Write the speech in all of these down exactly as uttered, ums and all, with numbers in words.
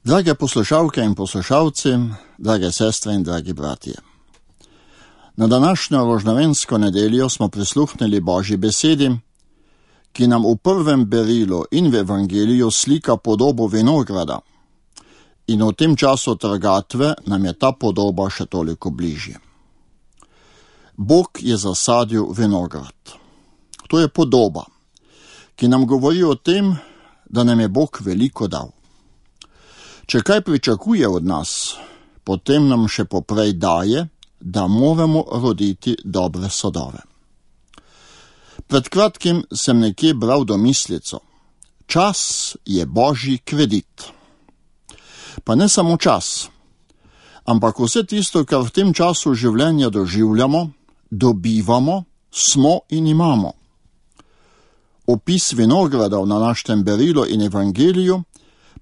Drage poslušalke in poslušalci, drage sestre in dragi bratje. Na današnjo rožnovensko nedeljo smo prisluhnili Božji besedi, ki nam v prvem berilu in v evangeliju slika podobo vinograda. In v tem času trgatve nam je ta podoba še toliko bližje. Bog je zasadil vinograd. To je podoba, ki nam govori o tem, da nam je Bog veliko dal. Če kaj pričakuje od nas, potem nam še poprej daje, da moramo roditi dobre sadove. Pred kratkim sem nekje bral domislico. Čas je Božji kredit. Pa ne samo čas, ampak vse tisto, kar v tem času življenja doživljamo, dobivamo, smo in imamo. Opis vinogradov na našem berilu in evangeliju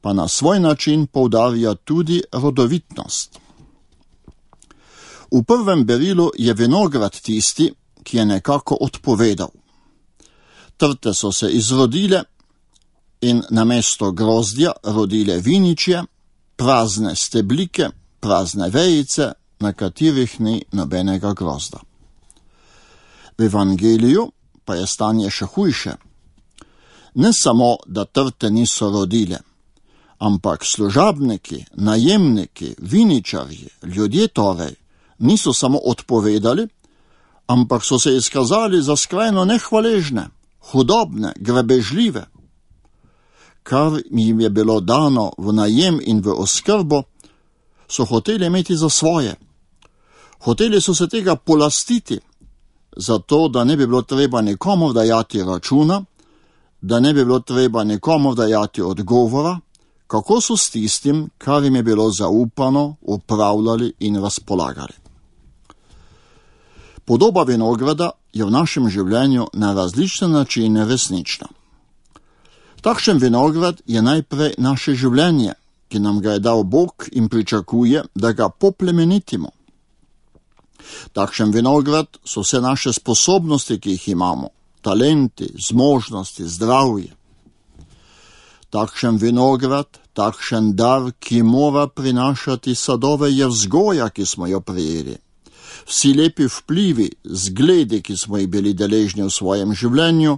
pa na svoj način poudarja tudi rodovitnost. V prvem berilu je vinograd tisti, ki je nekako odpovedal. Trte so se izrodile in namesto grozdja rodile viničje, prazne steblike, prazne vejice, na katerih ni nobenega grozda. V evangeliju pa je stanje še hujše. Ne samo, da trte niso rodile, ampak služabniki, najemniki, viničarji, ljudje torej, niso samo odpovedali, ampak so se izkazali za skrajno nehvaležne, hudobne, grebežljive. Kar jim je bilo dano v najem in v oskrbo, so hoteli imeti za svoje. Hoteli so se tega polastiti, zato da ne bi bilo treba nikomu dajati računa, da ne bi bilo treba nikomu dajati odgovora, kako so s tistim, kar jim je bilo zaupano, upravljali in razpolagali. Podoba vinograda je v našem življenju na različne načine resnična. Takšen vinograd je najprej naše življenje, ki nam ga je dal Bog in pričakuje, da ga poplemenitimo. Takšen vinograd so vse naše sposobnosti, ki jih imamo, talenti, zmožnosti, zdravje. Takšen vinograd, takšen dar, ki mora prinašati sadove, je vzgoja, ki smo jo prijeli. Vsi lepi vplivi, zgledi, ki smo jih bili deležni v svojem življenju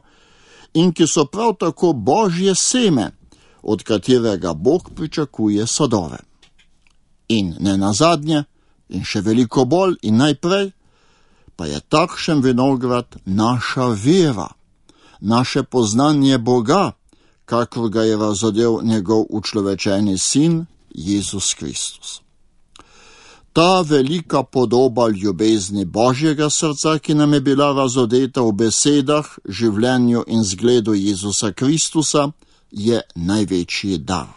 in ki so prav tako Božje seme, od katerega Bog pričakuje sadove. In ne nazadnje, in še veliko bolj in najprej, pa je takšen vinograd naša vera, naše poznanje Boga, kakor ga je razodel njegov učlovečeni sin, Jezus Kristus. Ta velika podoba ljubezni Božjega srca, ki nam je bila razodeta v besedah, življenju in zgledu Jezusa Kristusa, je največji dar.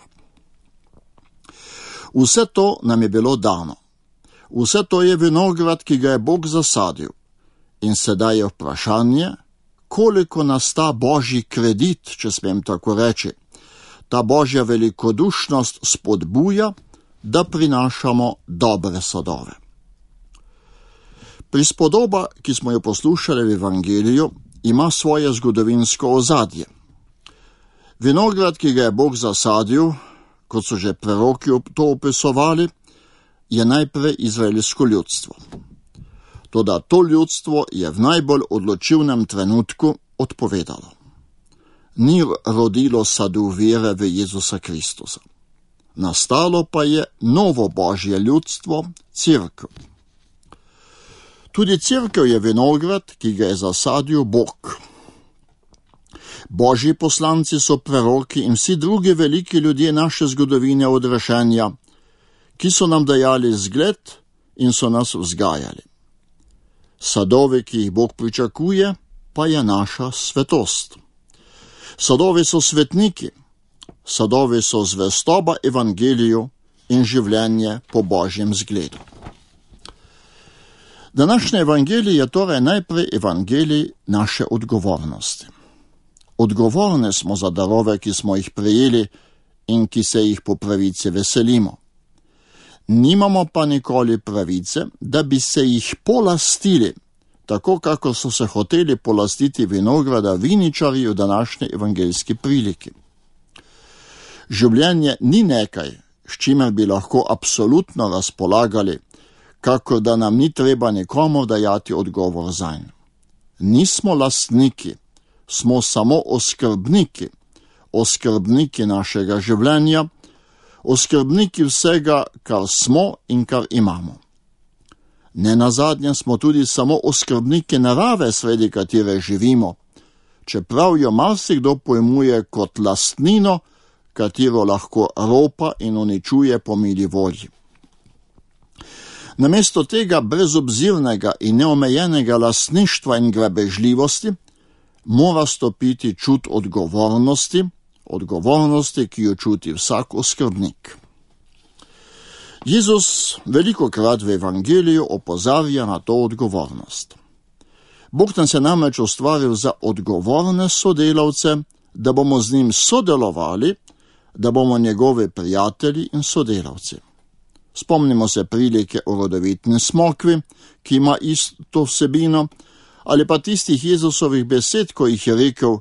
Vse to nam je bilo dano. Vse to je vinograd, ki ga je Bog zasadil. In sedaj je vprašanje, koliko nas ta Božji kredit, če smem tako reči, ta Božja velikodušnost spodbuja, da prinašamo dobre sadove. Prispodoba, ki smo jo poslušali v evangeliju, ima svoje zgodovinsko ozadje. Vinograd, ki ga je Bog zasadil, kot so že preroki to opisovali, je najprej izraelsko ljudstvo. Toda to ljudstvo je v najbolj odločilnem trenutku odpovedalo. Ni rodilo sadu vere v Jezusa Kristusa. Nastalo pa je novo Božje ljudstvo, cerkev. Tudi cerkev je vinograd, ki ga je zasadil Bog. Božji poslanci so preroki in vsi drugi veliki ljudje naše zgodovine od rešenja, ki so nam dajali zgled in so nas vzgajali. Sadovi, ki jih Bog pričakuje, pa je naša svetost. Sadovi so svetniki, sadovi so zvestoba evangeliju in življenje po Božjem zgledu. Današnji evangelij je torej najprej evangelij naše odgovornosti. Odgovorni smo za darove, ki smo jih prejeli in ki se jih po pravici veselimo. Nimamo pa nikoli pravice, da bi se jih polastili, tako kako so se hoteli polastiti vinograda viničarji v današnji evangeljski priliki. Življenje ni nekaj, s čimer bi lahko absolutno razpolagali, kako da nam ni treba nikomu dajati odgovor zanj. Nismo lastniki, smo samo oskrbniki, oskrbniki našega življenja, oskrbniki vsega, kar smo in kar imamo. Nenazadnje smo tudi samo oskrbniki narave, sredi katere živimo, čeprav jo marsikdo pojmuje kot lastnino, katero lahko ropa in uničuje po mili volji. Namesto tega brezobzirnega in neomejenega lastništva in grabežljivosti mora stopiti čut odgovornosti, odgovornosti, ki jo čuti vsak oskrbnik. Jezus velikokrat v evangeliju opozarja na to odgovornost. Bog nas je namreč ustvaril za odgovorne sodelavce, da bomo z njim sodelovali, da bomo njegovi prijatelji in sodelavci. Spomnimo se prilike o rodovitni smokvi, ki ima isto vsebino, ali pa tistih Jezusovih besed, ko jih je rekel,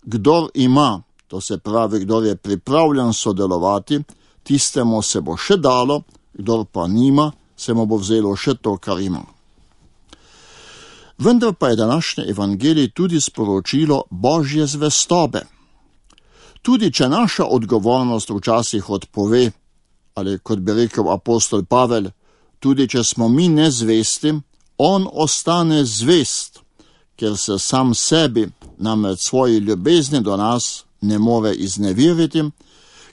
kdor ima, to se pravi, kdor je pripravljen sodelovati, tistemu se bo še dalo, kdor pa nima, se mu bo vzelo še to, kar ima. Vendar pa je današnje evangelij tudi sporočilo Božje zvestobe. Tudi če naša odgovornost včasih odpove, ali kot bi rekel apostol Pavel, tudi če smo mi nezvesti, on ostane zvest, ker se sam sebi, namreč svoji ljubezni do nas, ne more izneveriti,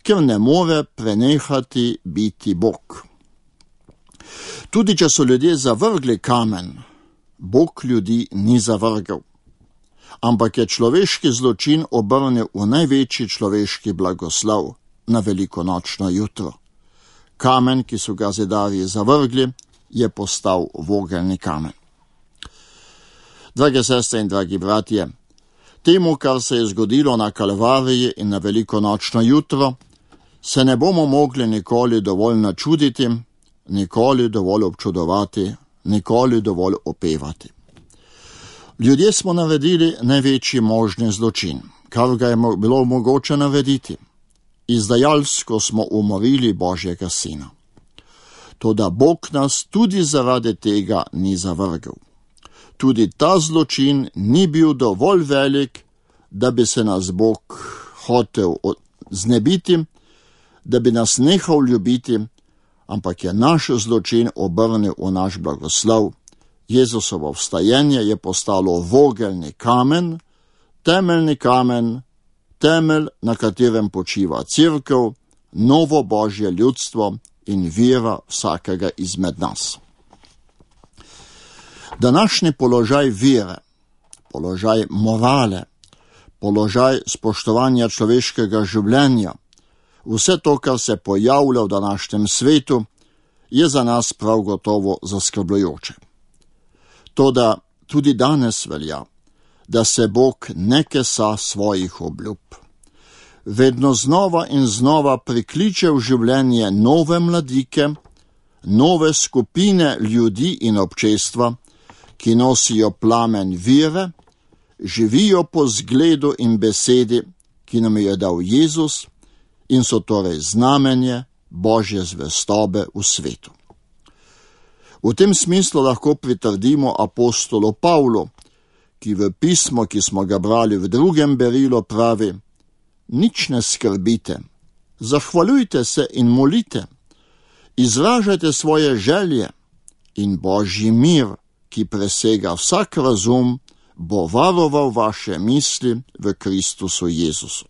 ker ne more prenehati biti Bog. Tudi če so ljudje zavrgli kamen, Bog ljudi ni zavrgel, ampak je človeški zločin obrnil v največji človeški blagoslov na velikonočno jutro. Kamen, ki so ga zidarji zavrgli, je postal vogelni kamen. Drage sestre in dragi bratje, temu, kar se je zgodilo na Kalvariji in na velikonočno jutro, se ne bomo mogli nikoli dovolj načuditi, nikoli dovolj občudovati, nikoli dovolj opevati. Ljudje smo naredili največji možni zločin, kar ga je bilo mogoče narediti. Izdajalsko smo umorili Božjega sina. Toda Bog nas tudi zaradi tega ni zavrgel. Tudi ta zločin ni bil dovolj velik, da bi se nas Bog hotel znebiti, da bi nas nehal ljubiti, ampak je naš zločin obrnil v naš blagoslov. Jezusovo vstajenje je postalo vogelni kamen, temeljni kamen, temelj, na katerem počiva cerkev, novo Božje ljudstvo in vera vsakega izmed nas. Današnji položaj vere, položaj morale, položaj spoštovanja človeškega življenja, vse to, kar se pojavlja v današnjem svetu, je za nas prav gotovo zaskrbljujoče. Toda tudi danes velja, da se Bog ne kesa svojih obljub. Vedno znova in znova prikliče v življenje nove mladike, nove skupine ljudi in občestva, ki nosijo plamen vere, živijo po zgledu in besedi, ki nam je dal Jezus, in so torej znamenje Božje zvestobe v svetu. V tem smislu lahko pritrdimo apostolu Pavlu, ki v pismo, ki smo ga brali v drugem berilu, pravi: nič ne skrbite, zahvaljujte se in molite, izražajte svoje želje in Božji mir, ki presega vsak razum, bo varoval vaše misli v Kristusu Jezusu.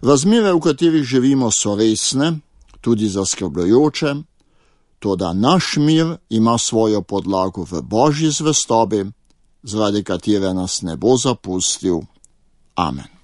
Razmere, v katerih živimo, so resne, tudi zaskrbljujoče, toda naš mir ima svojo podlago v Božji zvestobi, zaradi katere nas ne bo zapustil. Amen.